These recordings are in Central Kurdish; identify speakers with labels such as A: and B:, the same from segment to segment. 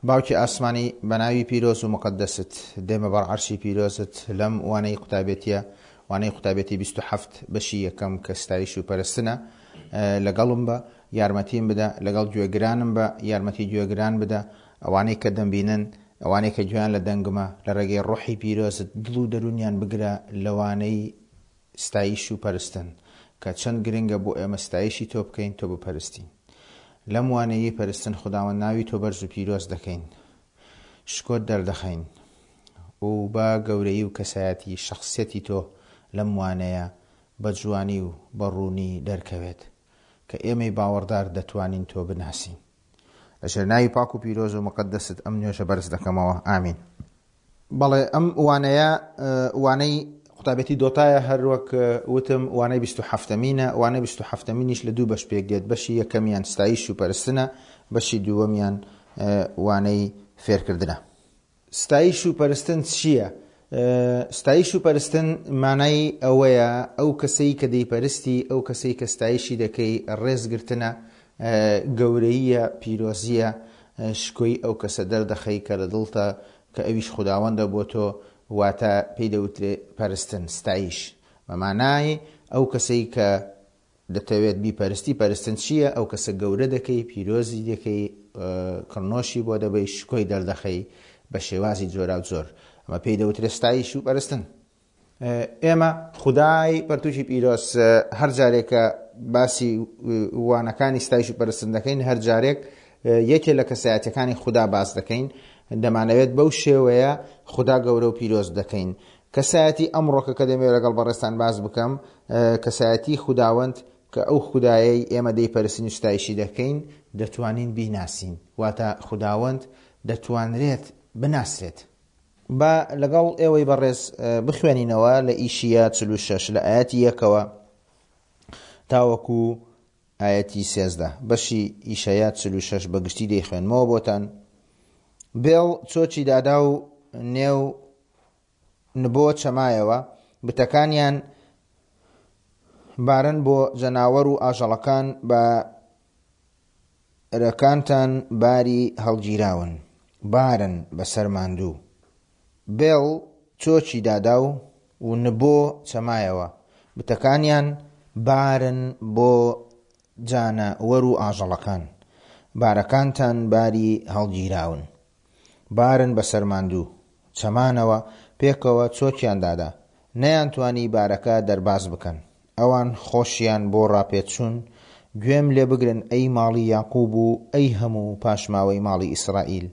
A: باوکی ئاسمانی بە ناوی پیرۆز و مقدست دێمە بەر عەرشی پیرۆزت لەم وانەی قوتابێتیە وانەی قوتابێتی 27 بەشی یەکەم کە ستایش و پەرستنە لەگەڵم بە یارمەتیم بدە لەگەڵ گوێگرانم بە یارمەتی گوێگران بدە ئەوانەی کە دەمبینن ئەوانەی کە گوێیان لە دەنگمە لە ڕێگەی ڕۆحی پیرۆزت دڵ و دەروونیان بگرە لەوانەی ستایش و پەرستن کە چەند گرنگە بۆ ئێمە ستایشی تۆ بکەین تۆ بپەرستین لەم وانەیەی پەرستن خوداوەند ناوی تۆ بەرز و پیرۆز دەکەین شکۆت دەردەخەین و با گەورەیی و کەسایەتی شەخسیەتی تۆ لەم وانەیە بە جوانی و بە ڕوونی دەرکەوێت کە ئێمەی باوەڕدار دەتوانین تۆ بناسین لەژێر ناوی پاک و پیرۆز و مقدست ئەم نوێژە بەرز دەکەمەوە ئامین. بەڵێ ئەم وانەیە وانەی قوتابێتی دۆتایە هەر وەک وتم وانەی 27مینە وانەی 27مینیش لە دوو بەش پێک دێت بەشی یەکەمیان ستایش و پەرستنە بەشی دووەمیان وانەی فێرکردنە. ستایش و پەرستن چییە؟ ستایش و پەرستن مانای ئەوەیە ئەو کەسەی کە دەیپەرستی ئەو کەسەی کە ستایشی دەکەی ڕێزگرتنە گەورەییە پیرۆزییە شکۆی ئەو کەسە دەردەخەی کە لە دڵتە کە ئەویش خوداوەندە بۆ تۆ واتە پێی دەوترێ پەرستن، ستایش، بە مانای ئەو کەسەی کە دەتەوێت بیپەرستی، پەرستن چییە؟ ئەو کەسە گەورە دەکەی، پیرۆزی دەکەی، کڕنۆشی بۆ دەبەی، شکۆی دەردەخەی بە شێوازی جۆراوجۆر. ئەمە پێی دەوترێ ستایش و پەرستن. ئێمە خودای پەرتوکی پیرۆز هەر جارێک کە باسی وانەکانی ستایش و پەرستن دەکەین هەر جارێک یەکێ لە کەسایەتەکانی خودا باس دەکەین دەمانەوێت بەو شێوەیە خودا گەورە و پیرۆز دەکەین کەسایەتی ئەمڕۆکە کە دەمەوێت لەگەڵ بەڕێزتان باس بکەم کەسایەتی خوداوەند کە ئەو خودایەی ئێمە دەیپەرستین و ستایشی دەکەین دەتوانین بیناسین واتە خوداوەند دەتوانرێت بناسرێت با لەگەڵ ئێوەی بەڕێز بخوێنینەوە لە ئیشیا 46 لە ئایەتی یەکەوە تاوەکو ئایەتی 13 بەشی ئیشەیا 46 بە گشتی دەیخوێنمەوە بۆتان بێڵ چۆچی دادا و نێو نبۆ چەمایەوە بتەکانیان بارن بۆ جەناوەر و ئاژەڵەکان بە رەکانتان باری هەڵگیراون بارن بەسەر ماندوو. بێڵ چۆکی دادا و و نبۆ چەمایەوە، بتەکانیان بارن بۆ جانە وەر و ئاژەڵەکان. بارەکانتان باری هەڵگیراون. بارن بەسەر ماندوو. چەمانەوە، پێکەوە چۆکیان دادا. نەیانتوانی بارەکە دەرباز بکەن. ئەوان خۆشیان بۆ ڕاپێچوون، گوێم لێ بگرن ئەی ماڵی یاقوب و ئەی هەموو پاشماوەی ماڵی ئیسرائیل،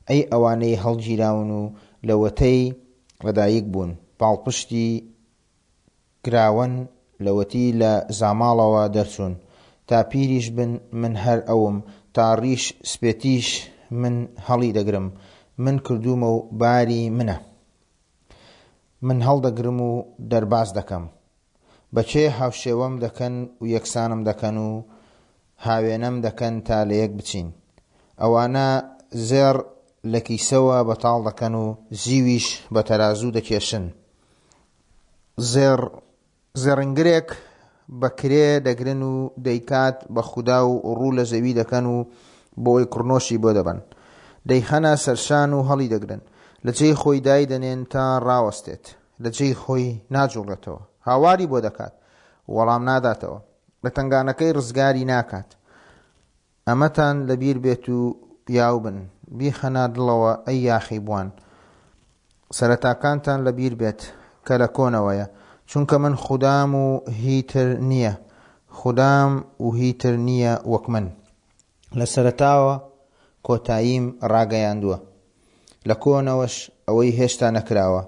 A: ئەی ئەوانەی هەڵگیراون و لەوەتەی لەدایک بوون، پاڵپشتی کراون، لەوەتی لە زاماڵەوە دەرچوون. تا پیریش بن من هەر ئەوم، تا ڕیش سپێتیش من هەڵیدەگرم، من کردوومە و باری منە. من هەڵدەگرم و دەرباز دەکەم. بە کێ هاوشێوەم دەکەن و یەکسانم دەکەن و هاوێنەم دەکەن تا لەیەک بچین؟ ئەوانە زێڕ لە کیسەوە بەتاڵ دەکەن و زیویش بە تەرازوو دەکێشن. زێڕ زێڕنگرێک بە کرێ دەگرن و دەیکات بە خودا و ڕوو لە زەوی دەکەن و بۆی کڕنۆشی بۆ دەبەن. دەیخەنە سەرشان و هەڵیدەگرن. لە جێی خۆی دایدەنێن تا ڕاوەستێت. لە جێی خۆی ناجوڵێتەوە. هاواری بۆ دەکات، وەڵام ناداتەوە. لە تەنگانەکەی ڕزگاری ناکات. ئەمەتان لەبیر بێت و پیاو بن، بیخەنە دڵەوە ئەی یاخیبووان. سەرەتاکانتان لەبیر بێت کە لە کۆنەوەیە، چونکە من خودام و هی تر نییە، خودام و هی تر نییە وەک من. لە سەرەتاوە کۆتاییم ڕاگەیاندووە، لە کۆنەوەش ئەوەی هێشتا نەکراوە.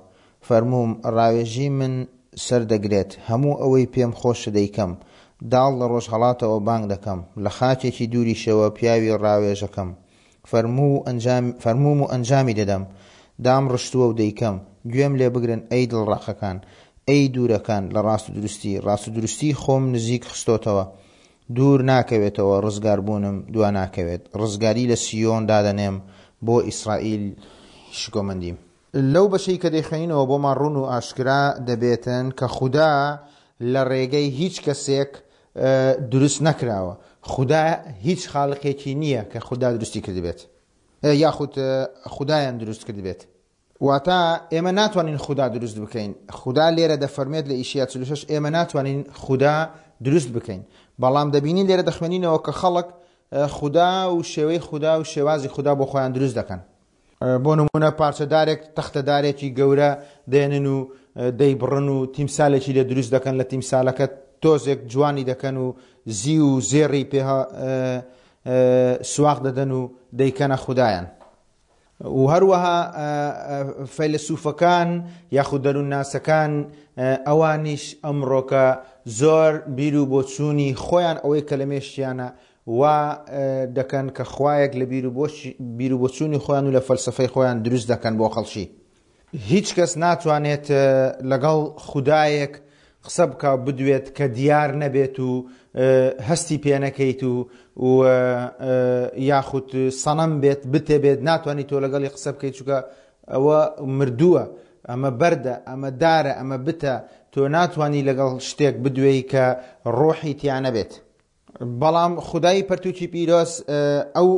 A: فەرمووم، ڕاوێژی من سەر دەگرێت، هەموو ئەوەی پێم خۆشە دەیکەم. داڵ لە ڕۆژهەڵاتەوە بانگ دەکەم، لە خاکێکی دووریشەوە پیاوی ڕاوێژەکەم. فەرمووم و ئەنجامی دەدەم، دامڕشتووە و دەیکەم. گوێم لێ بگرن ئەی دڵڕەقەکان، ئەی دوورەکان لە ڕاستودروستی، ڕاستودروستیی خۆم نزیک خستۆتەوە، دوور ناکەوێتەوە، ڕزگاربوونم دوا ناکەوێت. ڕزگاری لە سییۆن دادەنێم، بۆ ئیسرائیل شکۆمەندیم. لەو بەشەی کە دەیخوێنینەوە بۆمان ڕوون و ئاشکرا دەبێتن کە خودا لە ڕێگەی هیچ کەسێک دروست نەکراوە. خودا هیچ خالقێکی نییە کە خودا دروستی کردبێت. یاخود خودایان دروست کردبێت. واتە ئێمە ناتوانین خودا دروست بکەین. خودا لێرە دەفەرموێت لە ئیشیا 46 ئێمە ناتوانین خودا دروست بکەین. بەڵام دەبینین لێرە دەخوێنینەوە کە خەڵک خودا و شێوەی خودا و شێوازی خودا بۆ خۆیان دروست دەکەن. بۆ نمونە پارچە دارێک تەختە دارێکی گەورە دێنن و دەیبڕن و تیمسالێکی لێ دروست دەکەن لە تیمسالەکە تۆزێک جوانی دەکەن و زیو و زێڕی پێ سواق دەدەن و دەیکەنە خودایان. و هەروەها فەیلەسوفەکان یاخود دەروونناسەکان ئەوانیش ئەمڕۆکە زۆر بیر و بۆچوونی خۆیان ئەوەی کە لە مێشکیانە وا دەکەن کە خوایەک لە بیر و بۆچوونی خۆیان و لە فەلسەفەی خۆیان دروست دەکەن بۆ خەڵکی. هیچ کەس ناتوانێت لەگەڵ خودایەک قسە بکا و بدوێت کە دیار نەبێت و هەستی پێ نەکەیت و و یاخود سەنەم بێت بتێ بێت ناتوانیت تۆ لەگەڵی قسە بکەیت چونکە ئەوە مردووە ئەمە بەردە ئەمە دارە ئەمە بتە تۆ ناتوانی لەگەڵ شتێک بدوێی کە ڕۆحی تیا نەبێت. بەڵام خودای پەرتوکی پیرۆز ئەو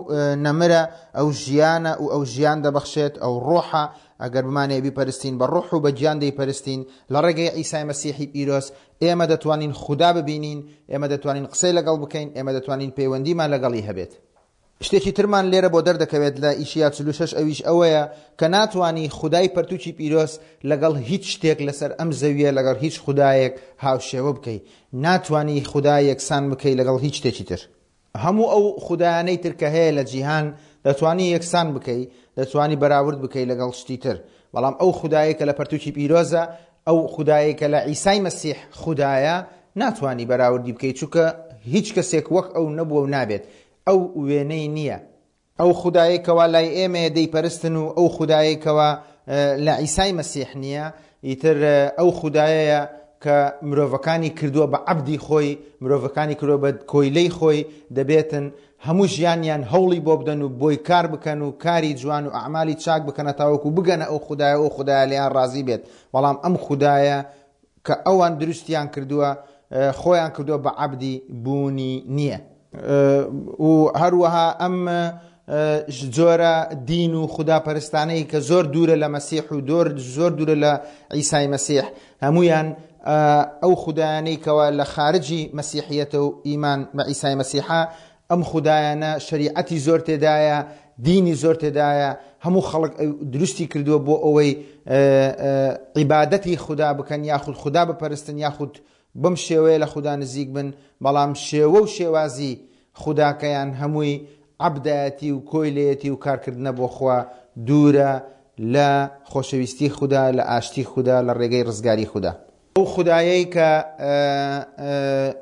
A: نەمرە، ئەو ژیانە و ئەو ژیان دەبەخشێت، ئەو ڕۆحە، ئەگەر بمانەوێت بیپەرستین بە ڕۆح و بە گیان دەیپەرستین، لە ڕێگەی عیسای مەسیحی پیرۆز ئێمە دەتوانین خودا ببینین، ئێمە دەتوانین قسەی لەگەڵ بکەین، ئێمە دەتوانین پەیوەندیمان لەگەڵی هەبێت. شتێکی ترمان لێرە بۆ دەردەکەوێت لە ئیشیا 46 ئەویش ئەوەیە کە ناتوانی خودای پەرتوکی پیرۆز لەگەڵ هیچ شتێک لەسەر ئەم زەویە لەگەڵ هیچ خودایەک هاوشێوە بکەی ناتوانی خودا یەکسان بکەی لەگەڵ هیچ شتێکی تر. هەموو ئەو خودایانەی تر کە هەیە لە جیهان دەتوانی یەکسان بکەی دەتوانی بەراورد بکەی لەگەڵ شتی تر بەڵام ئەو خودایەی کە لە پەرتوکی پیرۆزە ئەو خودایەی کە لە عیسای مەسیح خودایە ناتوانی بەراوردی بکەی چونکە هیچ کەسێک وەک ئەو نەبووە و نابێت ئەو وێنەی نییە. ئەو خودایەی کەوا لای ئێمەیە دەیپەرستن و ئەو خودایەی کەوا لە عیسای مەسیح نییە ئیتر ئەو خودایەیە کە مرۆڤەکانی کردووە بە عەبدی خۆی مرۆڤەکانی کردووە بە کۆیلەی خۆی دەبێتن هەموو ژیانیان هەوڵی بۆ بدەن و بۆی کار بکەن و کاری جوان و ئەعمالی چاک بکەنە تاوەکو بگەنە ئەو خودایە ئەو خودایە لێیان ڕازی بێت بەڵام ئەم خودایە کە ئەوان دروستیان کردووە خۆیان کردووە بە عەبدی بوونی نییە. و هەروەها ئەم جۆرە دین و خودا پەرستانەی کە زۆر دوورە لە مەسیح و دۆر زۆر دوورە لە عیسای مەسیح هەمویان ئەو خودایانەی کەوا لە خارجی مەسیحیەتە و ئیمان بە عیسای مەسیحە ئەم خودایانە شەریعەتی زۆر تێدایە دینی زۆر تێدایە هەموو خەڵک دروستی کردووە بۆ ئەوەی عیبادەتی خودا بکەن یاخود خودا بپەرستن یاخود بەم شێوەیە لە خودا نزیک بن بەڵام شێوە و شێوازی خوداکەیان هەمووی عەبدایەتی و کۆیلەیەتی و کارکردنە بۆ خوا دوورە لە خۆشەویستی خودا لە ئاشتی خودا لە ڕێگەی ڕزگاری خودا. ئەو خودایەی کە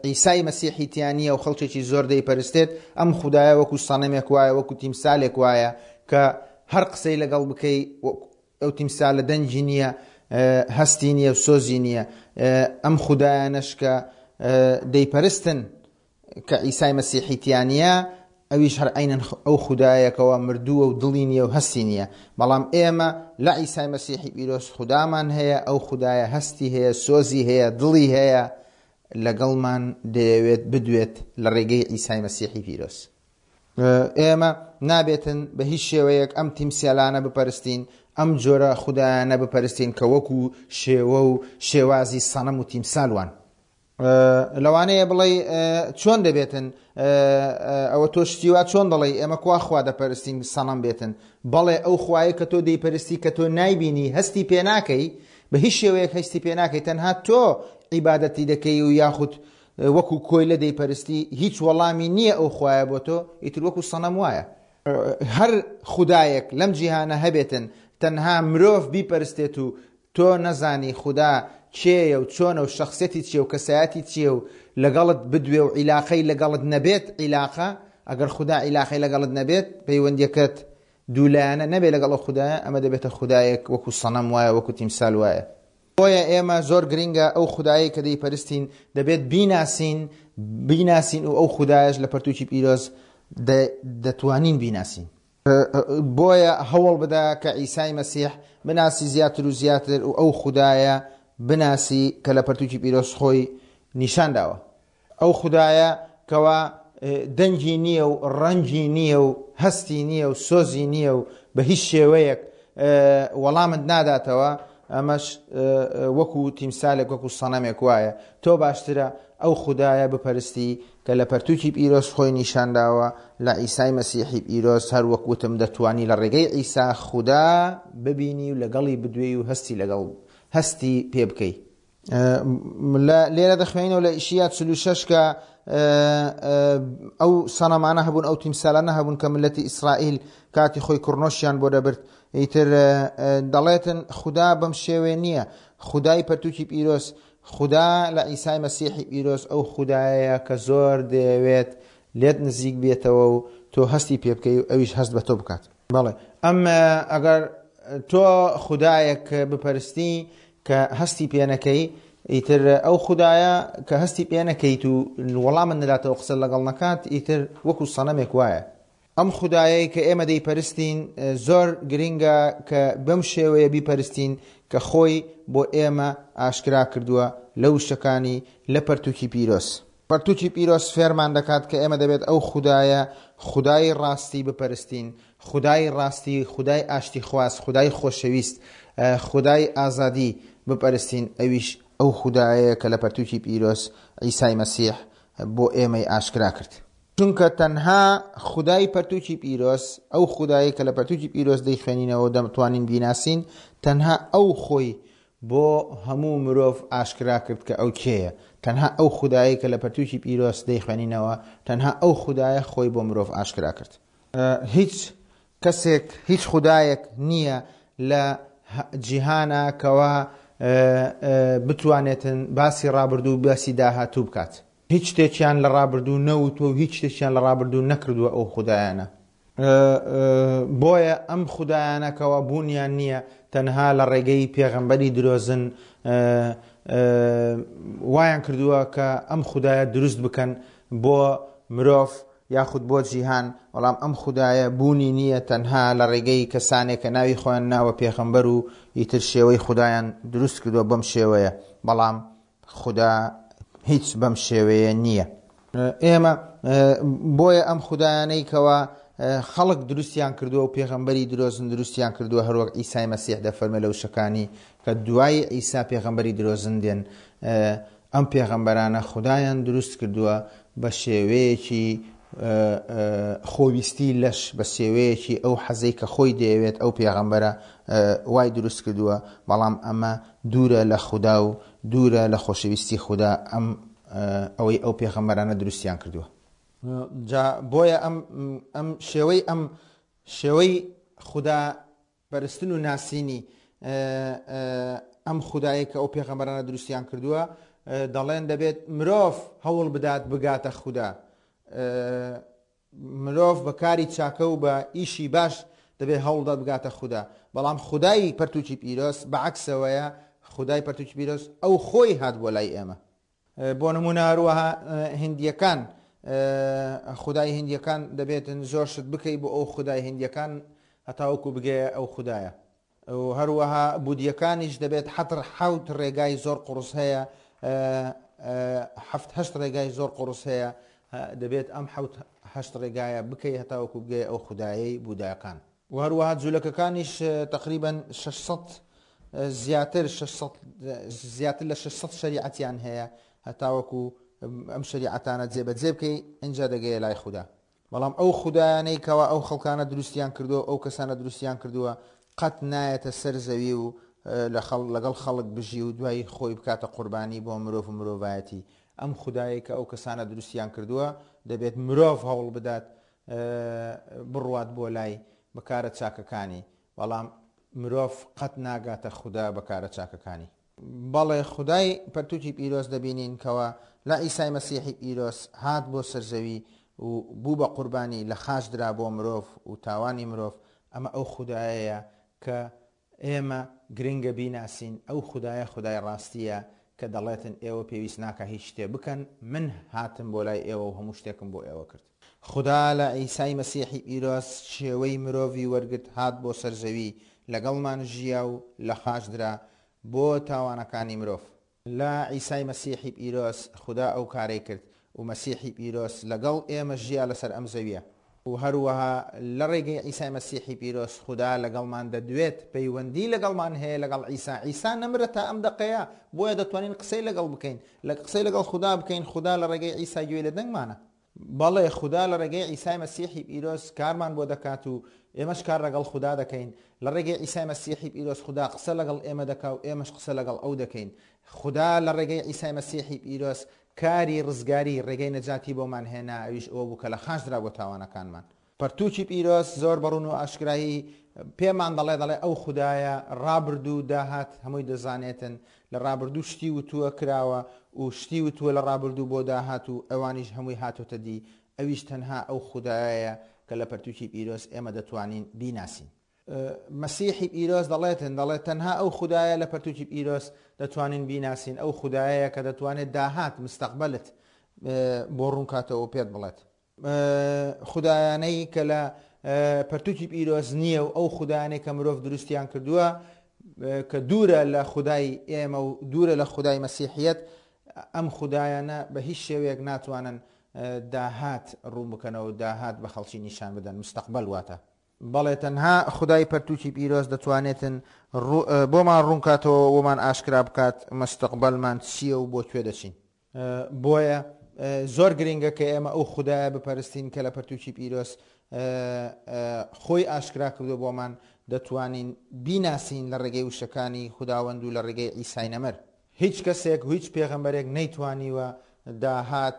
A: عیسای مەسیحی تیا نییە و خەڵکێکی زۆر دەیپەرستێت، ئەم خودایە وەکو سەنەمێک وایە، وەکو تیمسالێک وایە کە هەر قسەی لەگەڵ بکەی ئەو تیمسالە دەنگی نییە، هەستی نییە و سۆزی نییە. ئەم خودایانەش کە دەیپەرستن کە عیسای مەسیحی تیا نییە ئەویش هەر عەینەن ئەو خودایە کەوا مردووە و دڵی نییە و هەستی نییە بەڵام ئێمە لە عیسای مەسیحی پیرۆز خودامان هەیە ئەو خودایە هەستی هەیە سۆزی هەیە دڵی هەیە لەگەڵمان دەیەوێت بدوێت لە ڕێگەی عیسای مەسیحی پیرۆز. ئێمە نابێتن بە هیچ شێوەیەک ئەم تیمسالانە بپەرستین ئەم جۆرە خودایانە بپەرستین کە وەکو شێوە و شێوازی سەنەم و تیمسال وان. لەوانەیە بڵێی چۆن دەبێتن ئەوە تۆ شتی وا چۆن دەڵێی ئێمە کوا خوا دەپەرستین سەنەم بێتن بەڵێ ئەو خوایە کە تۆ دەیپەرستی کە تۆ نایبینی هەستی پێ ناکەی بە هیچ شێوەیەک هەستی پێ ناکەی تەنها تۆ عیبادەتی دەکەی و یاخود وەکو کۆیلە دەیپەرستی هیچ وەڵامی نییە ئەو خوایە بۆ تۆ ئیتر وەکو سەنەم وایە هەر خودایەک لەم جیهانە هەبێتن تەنها مرۆڤ بیپەرستێت و تۆ نەزانی خودا کێیە و چۆنە و شەخسیەتی چیە و کەسایەتی چیە و لەگەڵت بدوێ و عیلاقەی لەگەڵت نەبێت عیلاقە ئەگەر خودا عیلاقەی لەگەڵت نەبێت پەیوەندیەکەت دوولایەنە نەبێت لەگەڵ ئەو خودایە ئەمە دەبێتە خودایەک وەکو سەنەم وایە وەکو تیمسال وایە. بۆیە ئێمە زۆر گرینگە ئەو خودایەی کە دەیپەرستین دەبێت بیناسین بیناسین و ئەو خودایەش لە پەرتوکی پیرۆز دەتوانین بیناسین. بۆیە هەوڵ بدە کە عیسای مەسیح بناسی زیاتر و زیاتر و ئەو خودایە بناسی کە لە پەرتوکی پیرۆز خۆی نیشان داوە. ئەو خودایە کەوا دەنگی نییە و ڕەنگی نییە و هەستی نییە و سۆزی نییە و بە هیچ شێوەیەک وەڵامت ناداتەوە، ئەمەش وەکو تیمسالێک وەکو سەنەمێک وایە. تۆ باشترە ئەو خودایە بپەرستی کە لە پەرتووکی پیرۆز خۆی نیشانداوە لە عیسای مەسیحی پیرۆز، هەر وەک وتم دەتوانی لە ڕێگەی عیسا خودا ببینی و لەگەڵی بدوێی و هەستی لەگەڵ هەستی پێ بکەی. لە لێرە دەخوێنەوە لە ئیشیا 46 کە ئەو سەنەمانە هەبوون ئەو تیمسالانە هەبوون کە ملەتی ئیسرائیل کاتی خۆی کوڕنۆشیان بۆ دەبرد ئیتر دەڵێتن خودا بەم شێوێ نییە خودای پەرتوکی پیرۆز خودا لە ئیسای مەسیحی پیرۆز ئەو خودایەیە کە زۆر دەیەوێت لێت نزیک بێتەوە و تۆ هەستی پێ بکەی و ئەویش هەست بە تۆ بکات. بەڵێ ئەم ئەگەر تۆ خودایەک بپەرستی کە هەستی پێ نەکەی ئیتر ئەو خودایە کە هەستی پێ نەکەیت و وەڵامت نەداتەوە قسە لەگەڵ نەکات ئیتر وەکو سەنەمێک وایە. ئەم خودایەی کە ئێمە دەیپەرستین زۆر گرینگە کە بەم شێوەیە بیپەرستین کە خۆی بۆ ئێمە ئاشکرا کردووە لە وشەکانی لە پەرتوکی پیرۆز. پەرتوکی پیرۆز فێرمان دەکات کە ئێمە دەبێت ئەو خودایە، خودای ڕاستی بپەرستین، خودای ڕاستی، خودای ئاشتیخواز، خودای خۆشەویست، خودای ئازادی بپەرستین، ئەویش ئەو خودایەیە کە لە پەرتوکی پیرۆز عیسای مەسیح بۆ ئێمەی ئاشکرا کرد. چونکە تەنها خودای پەرتوکی پیرۆز، ئەو خودایەی کە لە پەرتوکی پیرۆز دەیخوێنینەوە و دەتوانین بیناسین، تەنها ئەو خۆی بۆ هەموو مرۆڤ ئاشکرا کرد کە ئەو کێیە. تەنها ئەو خودایەی کە لە پەرتوکی پیرۆز دەیخوێنینەوە، تەنها ئەو خودایە خۆی بۆ مرۆڤ ئاشکرا کرد. هیچ کەسێک، هیچ خودایەک نییە لە جیهانا کەوا بتوانێتن باسی ڕابردوو و باسی داهاتوو بکات. هیچ شتێکیان لە ڕابردوو نەوتووە و هیچ شتێکیان لە ڕابردوو نەکردووە ئەو خودایانە. بۆیە ئەم خودایانە کەوا بوونیان نییە تەنها لە ڕێگەی پێغەمبەری درۆزن وایان کردووە کە ئەم خودایە دروست بکەن بۆ مرۆڤ یاخود بۆ جیهان، بەڵام ئەم خودایە بوونی نییە تەنها لە ڕێگەی کەسانێک کە ناوی خۆیان ناوە پێغەمبەر و ئیتر شێوەی خودایان دروست کردووە بەم شێوەیە، بەڵام خودا هیچ بەم شێوەیە نییە. ئێمە بۆیە ئەم خودایانەی کەوا خەڵک دروستیان کردووە و پێغەمبەری درۆزن دروستیان کردووە هەروەک عیسای مەسیح دەفەرمێ لە وشەکانی کە دوای عیسا پێغەمبەری درۆزن دێن ئەم پێغەمبەرانە خودایان دروست کردووە بە شێوەیەکی خۆویستی لەش بە شێوەیەکی ئەو حەزەی کە خۆی دەیەوێت ئەو پێغەمبەرە وای دروست کردووە بەڵام ئەمە دوورە لە خودا و دوورە لە خۆشەویستی خودا ئەم ئەوەی ئەو پێغەمبەرانە دروستیان کردووە. جا بۆیە ئەم ئەم شێوەی ئەم شێوەی خودا پەرستن و ناسینی ئەم خودایەی کە ئەو پێغەمبەرانە دروستیان کردووە دەڵێن دەبێت مرۆڤ هەوڵ بدات بگاتە خودا مرۆڤ بە کاری چاکە و بە ئیشی باش دەبێت هەوڵدات بگاتە خودا بەڵام خودای پەرتوکی پیرۆز بەعکسەوەیە خودای پەرتوکی پیرۆز ئەو خۆی هات بۆ لای ئێمە بۆ نموونە هەروەها هندیەکان خودای هندیەکان دەبێتن زۆر شت بکەی بۆ ئەو خودای هندیەکان هەتاوەکو بگەیە ئەو خودایە و هەروەها بودیەکانیش دەبێت حەتر حەوت ڕێگای زۆر قوڕس هەیە حەفت هەشت ڕێگای زۆر قوڕس هەیە دەبێت ئەم حەوت هەشت ڕێگایە بکەی هەتاوەکو بگەیە ئەو خودایەی بوداکان و هەروەها جولەکەکانیش تەقریبەن 600 زیاتر 600 زیاتر لە 600 شەریعەتیان هەیە هەتاوەکو ئەم شەریعەتانە جێبەجێ بکەی ئینجا دەگەیە لای خودا بەڵام ئەو خودایانەی کەوا ئەو خەڵکانە دروستیان کردووە ئەو کەسانە دروستیان کردووە قەت نایەتە سەر زەوی و لەگەڵ خەڵک بژی و دوایی خۆی بکاتە قوربانی بۆ مرۆڤ و مرۆڤایەتی ئەم خودایەی کە ئەو کەسانە دروستیان کردووە دەبێت مرۆڤ هەوڵ بدات بڕوات بۆ لای بە کارە چاکەکانی، بەڵام مرۆڤ قەت ناگاتە خودا بە کارە چاکەکانی. بەڵێ خودای پەرتوکی پیرۆز دەبینین کەوا لە عیسای مەسیحی پیرۆز هات بۆ سەر زەوی و بوو بە قوربانی لە خاچ درا بۆ مرۆڤ و تاوانی مرۆڤ، ئەمە ئەو خودایەیە کە ئێمە گرنگە بیناسین، ئەو خودایە خودای ڕاستییە کە دەڵێتن ئێوە پێویست ناکا هیچ شتێ بکەن، من هاتم بۆ لای ئێوە و هەموو شتێکم بۆ ئێوە کرد. خودا لە عیسای مەسیحی پیرۆز شێوەی مرۆڤی وەرگرت هات بۆ سەر زەوی لەگەڵمان ژیا و لە خاچ درا بۆ تاوانەکانی مرۆڤ. لە عیسای مەسیحی پیرۆز خودا ئەو کارەی کرد. و مەسیحی پیرۆز لەگەڵ ئێمە ژیا لەسەر ئەم زەویە. و هەروەها لە ڕێگەی عیسای مەسیحی پیرۆز خودا لەگەڵمان دەدوێت، پەیوەندی لەگەڵمان هەیە لەگەڵ عیسا، عیسا نەمرە تا ئەم دەقەیە، بۆیە دەتوانین قسەی لەگەڵ بکەین، لە قسەی لەگەڵ خودا بکەین، خودا لە ڕێگەی عیسا گوێی لە دەنگمانە. بەڵێ خودا لە ڕێگەی عیسای مەسیحی پیرۆز کارمان بۆ دەکات و ئێمەش کار لەگەڵ خودا دەکەین، لە ڕێگەی عیسای مەسیحی پیرۆز خودا قسە لەگەڵ ئێمە دەکا و ئێمەش قسە لەگەڵ ئەو دەکەین. خودا لە ڕێگەی عیسای مەسیحی پیرۆز کاری ڕزگاری، ڕێگەی نەجاتی بۆمان هێنا، ئەویش ئەوە بوو کە لە خاچ درا بۆ تاوانەکانمان. پەرتووکی پیرۆز زۆر بە ڕوون و ئاشکرایی پێمان دەڵێ، دەڵێ ئەو خودایە ڕابردوو و داهات هەمووی دەزانێتن، لە ڕابردوو شتی وتووە کراوە و شتی وتووە لە ڕابردوو بۆ داهات و ئەوانیش هەمووی هاتۆتە دی، ئەویش تەنها ئەو خودایەیە کە لە پەرتووکی پیرۆز ئێمە دەتوانین بیناسین. مەسیحی پیرۆز دەڵێتن، دەڵێت تەنها ئەو خودایە لە پەرتوکی پیرۆز دەتوانین بیناسین، ئەو خودایەیە کە دەتوانێت داهات، مستەقبەلت، بۆ ڕوونکاتەوە و پێت بڵێت. خودایانەی کە لە پەرتوکی پیرۆز نییە و ئەو خودایانەی کە مرۆڤ دروستیان کردووە کە دوورە لە خودای ئێمە و دوورە لە خودای مەسیحیەت، ئەم خودایانە بە هیچ شێوەیەک ناتوانن داهات ڕوون بکەنەوە و داهات بە خەڵکی نیشان بدەن، مستەقبەل واتە. بەڵێ تەنها خودای پەرتوکی پیرۆز دەتوانێتن بۆمان ڕوونکاتەوە بۆمان ئاشکرا بکات مستقبلمان چییە و بۆ کوێ دەچین. بۆیە زۆر گرنگە کە ئێمە ئەو خودایە بپەرستین کە لە پەرتوکی پیرۆز خۆی ئاشکرا کردو بۆمان دەتوانین بیناسین لە ڕێگەی وشەکانی خوداوەند و لە ڕێگەی عیسای نەمر. هیچ کەسێک و هیچ پێغەمبەرێک نەیتوانیوە داهات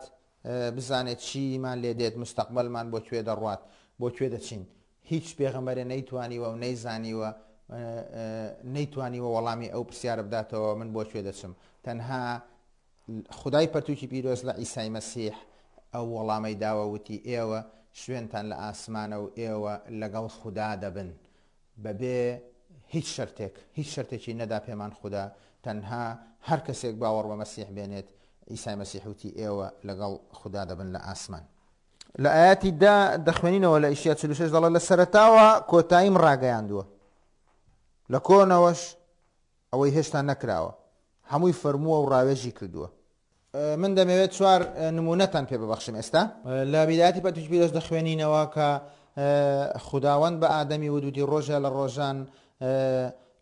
A: بزانێت چیمان لێ دێت، مستەقبەلمان بۆ کوێ دەڕوات، بۆ کوێ دەچین. هیچ پێغەمبەرێ نەیتوانیوە و نەیزانیوە، نەیتوانیوە وەڵامی ئەو پرسیارە بداتەوە من بۆ کوێ دەچم. تەنها خودای پەرتوکی پیرۆز لە عیسای مەسیح ئەو وەڵامەی داوە وتی ئێوە شوێنتان لە ئاسمانە و ئێوە لەگەڵ خودا دەبن. بەبێ هیچ شەرتێک، هیچ شەرتێکی نەدا پێمان خودا، تەنها هەر کەسێک باوەڕ بە مەسیح بێنێت، عیسای مەسیح وتی ئێوە لەگەڵ خودا دەبن لە ئاسمان. لە ئایەتی دا دەخوێنینەوە لە ئیشیا 46 دەڵێت لە سەرەتاوە کۆتاییم ڕاگەیاندووە، لە کۆنەوەش ئەوەی هێشتا نەکراوە هەمووی فەرمووە و ڕاوێژی کردووە. من دەمەوێت چوار نمونەتان پێ ببەخشم ئێستا. لە بیدایەتی پەرتوکی پیرۆز دەخوێنینەوە کە خوداوەند بە ئادەمی وت وتی ڕۆژە لە ڕۆژان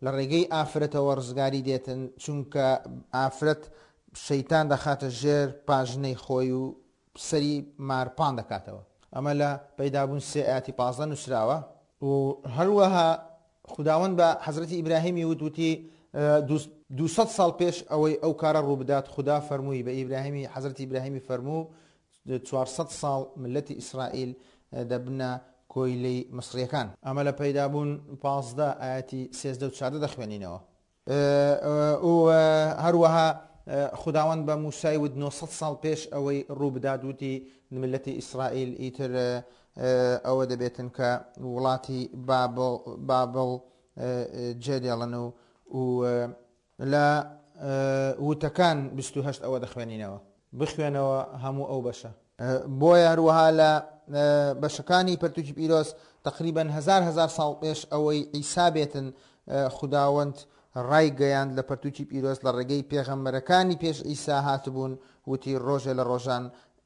A: لە ڕێگەی ئافرەتەوە ڕزگاری دێتن، چونکە ئافرەت شەیتان دەخاتە ژێر پاژنەی خۆی و سەری مار پان دەکاتەوە. ئەمە لە پەیدابوون سێ ئایەتی 15 نووسراوە. و هەروەها خوداوەند بە حەزرەتی ئیبراهیمی وت وتی 200 ساڵ پێش ئەوەی ئەو کارە ڕووبدات خودا فەرمووی بە ئیبراهیمی حەزرەتی ئیبراهیمی فەرموو 400 ساڵ ملەتی ئیسرائیل دەبنە کۆیلەی مسریەکان. ئەمە لە پەیدابوون 15 ئایەتی 13 و 14 دەخوێنینەوە. و هەروەها خوداوەند بە موسای وت 900 ساڵ پێش ئەوەی ڕوو بدات وتی ملەتی ئیسرائیل ئیتر ئەوە دەبێتن کە وڵاتی بابڵ جێدێڵن و و لە وتەکان 28 ئەوە دەخوێنینەوە. بخوێنەوە هەموو ئەو بەشە. بۆیە هەروەها لە بەشەکانی پەرتوکی پیرۆز تەقریبەن هەزار هەزار ساڵ پێش ئەوەی عیسا بێتن خوداوەند ڕایگەیاند لە پەرتوکی پیرۆز لە ڕێگەی پێغەمبەرەکانی پێش عیسا هاتبوون وتی ڕۆژێ لە ڕۆژان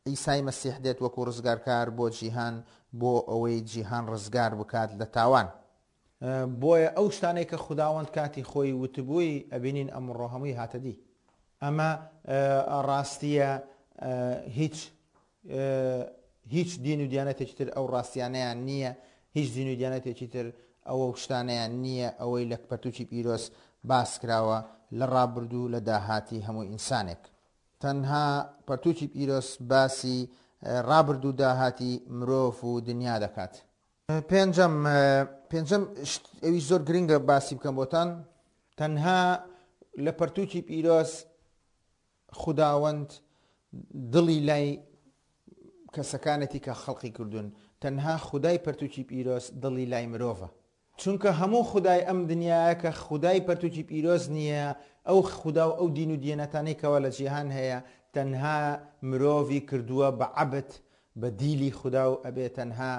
A: عیسای مەسیح دێت وەکو ڕزگارکار بۆ جیهان بۆ ئەوەی جیهان ڕزگار بکات لە تاوان. بۆیە ئەو شتانەی کە خوداوەند کاتی خۆی وتبووی ئەبینین ئەمڕۆ هەمووی هاتە دی. ئەمە ڕاستیە هیچ هیچ دین و دیانەتێکی تر ئەو ڕاستیانەیان نییە، هیچ دین و دیانەتێکی تر ئەوە شتانەیان نییە ئەوەی لە پەرتوکی پیرۆز باس کراوە لە ڕابردوو لە داهاتی هەموو ئینسانێک. تەنها پەرتوکی پیرۆز باسی ڕابردوو داهاتی مرۆڤ و دنیا دەکات. پێنجەم، پێنجەم شت ئەویش زۆر گرنگە باسی بکەم بۆتان، تەنها لە پەرتوکی پیرۆز خوداوەند دڵی لای کەسەکانێتی کە خەڵقی کردوون، تەنها خودای پەرتوکی پیرۆز دڵی لای مرۆڤە. چونکە هەموو خودای ئەم دنیایە کە خودای پەرتوکی پیرۆز نییە، ئەو خودا و ئەو دین و دیانەتانەی کەوا لە جیهان هەیە تەنها مرۆڤی کردووە بە عەبد، بە دیلی خودا و ئەبێ تەنها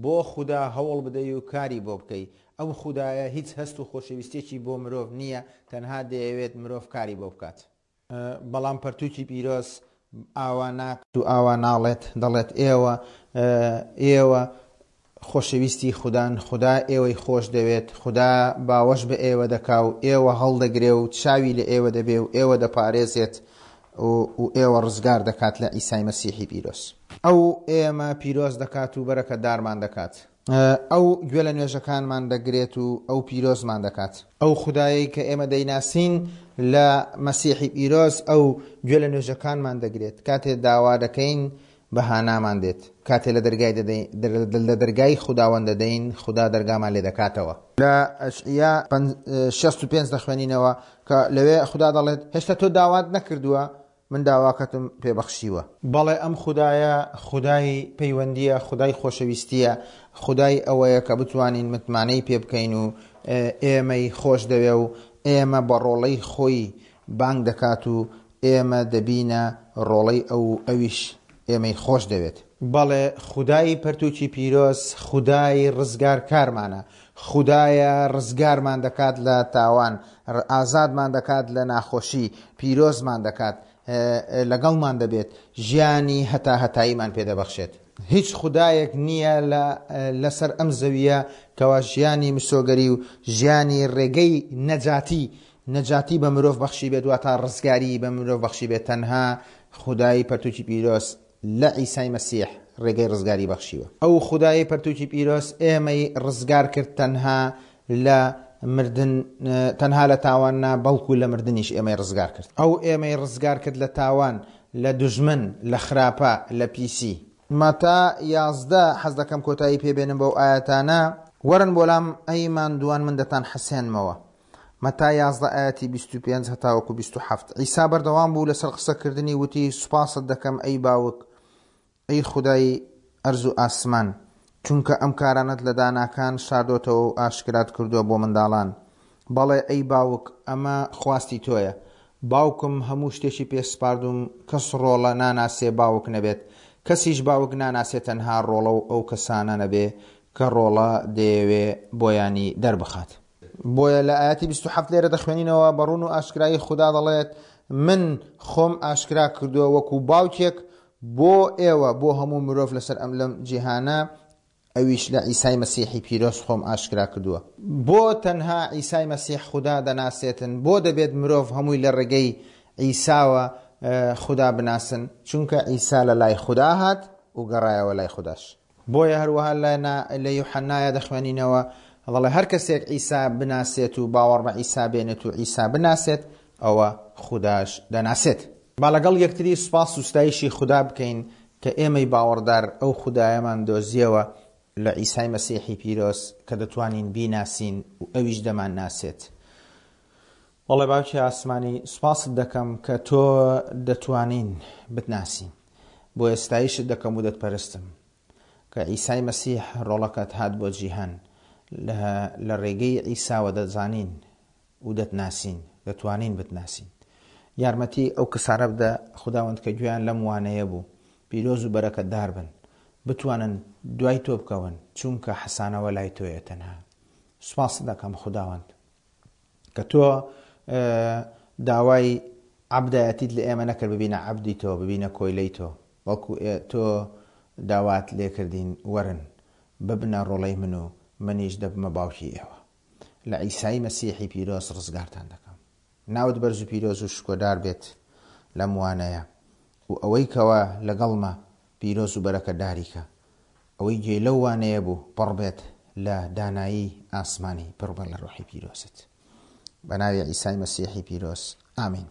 A: بۆ خودا هەوڵ بدەی و کاری بۆ بکەی، ئەو خودایە هیچ هەست و خۆشەویستیەکی بۆ مرۆڤ نییە تەنها دەیەوێت مرۆڤ کاری بۆ بکات. بەڵام پەرتوکی پیرۆز ئاوا ناکات و ئاوا ناڵێت، دەڵێت ئێوە ئێوە خۆشەویستی خودان، خودا ئێوەی خۆش دەوێت، خودا باوەش بە ئێوە دەکا و ئێوە هەڵدەگرێ و چاوی لە ئێوە دەبێ و ئێوە دەپارێزێت و ئێوە ڕزگار دەکات لە عیسای مەسیحی پیرۆز. ئەو ئێمە پیرۆز دەکات و بەرەکەتدارمان دەکات. ئەو گوێ لە نوێژەکانمان دەگرێت و ئەو پیرۆزمان دەکات. ئەو خودایەی کە ئێمە دەیناسین لە مەسیحی پیرۆز، ئەو گوێ لە نوێژەکانمان دەگرێت. کاتێ داوا دەکەین، بە هانامان دێت. کاتێ لە دەرگای دەدەین، لە دەرگای خوداوەند دەدەین، خودا دەرگامان لێ دەکاتەوە. لە ئەشعیا 65 دەخوێنینەوە کە لەوێ خودا دەڵێت، هێشتا تۆ داوات نەکردووە، من داواکەتم پێ بەخشیوە. بەڵێ ئەم خودایە خودای پەیوەندییە، خودای خۆشەویستییە، خودای ئەوەیە کە بتوانین متمانەی پێ بکەین و ئێمەی خۆش دەوێ و ئێمە بە ڕۆڵەی خۆی بانگ دەکات و ئێمە دەبینە ڕۆڵەی ئەو و ئەویش ئێمەی خۆش دەوێت. بەڵێ خودای پەرتووکی پیرۆز خودای ڕزگارکارمانە، خودایە ڕزگارمان دەکات لە تاوان، ئازادمان دەکات لە ناخۆشی، پیرۆزمان دەکات، لەگەڵمان دەبێت، ژیانی هەتاهەتاییمان پێ دەبەخشێت. هیچ خودایەک نییە لە لەسەر ئەم زەوییە کەوا ژیانی مسۆگەری و ژیانی ڕێگەی نەجاتی نەجاتی بە مرۆڤ بەخشیبێت واتا ڕزگاریی بە مرۆڤ بەخشیبێت تەنها خودای پەرتوکی پیرۆز لە عیسای مەسیح ڕێگەی ڕزگاری بەخشیوە. ئەو خودایەی پەرتوکی پیرۆز ئێمەی ڕزگار کرد تەنها لە مردن تەنها لە تاوان نا بەڵکو لە مردنیش ئێمەی ڕزگار کرد. ئەو ئێمەی ڕزگار کرد لە تاوان، لە دوژمن، لە خراپە، لە پیسی. مەتا 11 حەز دەکەم کۆتایی پێ بێنم بەو ئایەتانە. وەرن بۆ لام ئەی ماندووان من دەتانحەسێنمەوە. مەتا 11 ئایەتی 25 هەتاوەکو 27 عیسا بەردەوام بوو لەسەر قسەکردنی وتی سوپاست دەکەم ئەی باوک ئەی خودای ئەرز و ئاسمان چونکە ئەم کارانەت لە داناکان شاردۆتەوە و ئاشکرات کردووە بۆ منداڵان بەڵێ ئەی باوک ئەمە خواستی تۆیە باوکم هەموو شتێکی پێ سپاردووم کەس ڕۆڵە ناناسێ باوک نەبێت کەسیش باوک ناناسێ تەنها ڕۆڵە و ئەو کەسانە نەبێ کە ڕۆڵە دەیەوێ بۆیانی دەربخات. بۆیە لە ئایەتی 27 لێرە دەخوێنینەوە بە ڕوون و ئاشکرایی خودا دەڵێت من خۆم ئاشکرا کردووە وەکو باوکێک بۆ ئێوە بۆ هەموو مرۆڤ لەسەر ئەم لەم جیهانە ئەویش لە عیسای مەسیحی پیرۆز خۆم ئاشکرا کردووە. بۆ تەنها عیسای مەسیح خودا دەناسێتن؟ بۆ دەبێت مرۆڤ هەمووی لە ڕێگەی عیساوە خودا بناسن؟ چونکە عیسا لە لای خودا هات و گەڕایەوە لای خوداش. بۆیە هەروەها لە لە یوحەنایا دەخوێنینەوە دەڵێ هەر کەسێک عیسا بناسێت و باوەڕ بە عیسا بێنێت و عیسا بناسێت ئەوە خوداش دەناسێت. با لەگەڵ یەکتری سوپاس و ستایشی خودا بکەین کە ئێمەی باوەڕدار ئەو خودایەمان دۆزیەوە لە عیسای مەسیحی پیرۆز کە دەتوانین بیناسین و ئەویش دەمانناسێت. بەڵێ باوکی ئاسمانی سوپاست دەکەم کە تۆ دەتوانین بتناسین. بۆیە ستایشت دەکەم و دەتپەرستم کە عیسای مەسیح ڕۆڵەکەت هات بۆ جیهان لە ڕێگەی عیساوە دەزانین و دەتناسین دەتوانین بتناسین یارمەتی ئەو کەسانە بدە خوداوەند کە گوێیان لەم وانەیە بوو پیرۆز و بەرەکەتدار بن بتوانن دوای تۆ بکەون چونکە حەسانەوە لای تۆیە تەنها سوپاست دەکەم خوداوەند کە تۆ داوای عەبدایەتیت لە ئێمە نەکرد ببینە عەبدی تۆ ببینە کۆیلەی تۆ بەڵکو تۆ داوات لێکردین وەرن ببنە ڕۆڵەی من و منیش دەبمە باوکی ئێوە لە عیسای مەسیحی پیرۆز ڕزگارتان دەکەم ناوت بەرز و پیرۆز و شکۆدار بێت لەم وانەیە و ئەوەی کەوا لەگەڵمە پیرۆز و بەرەکەتداری کە ئەوەی گوێی لەو وانەیە بوو پڕ بێت لە دانایی ئاسمانی پڕ بە لە ڕۆحی پیرۆزت بە ناوی عیسای مەسیحی پیرۆز ئامین.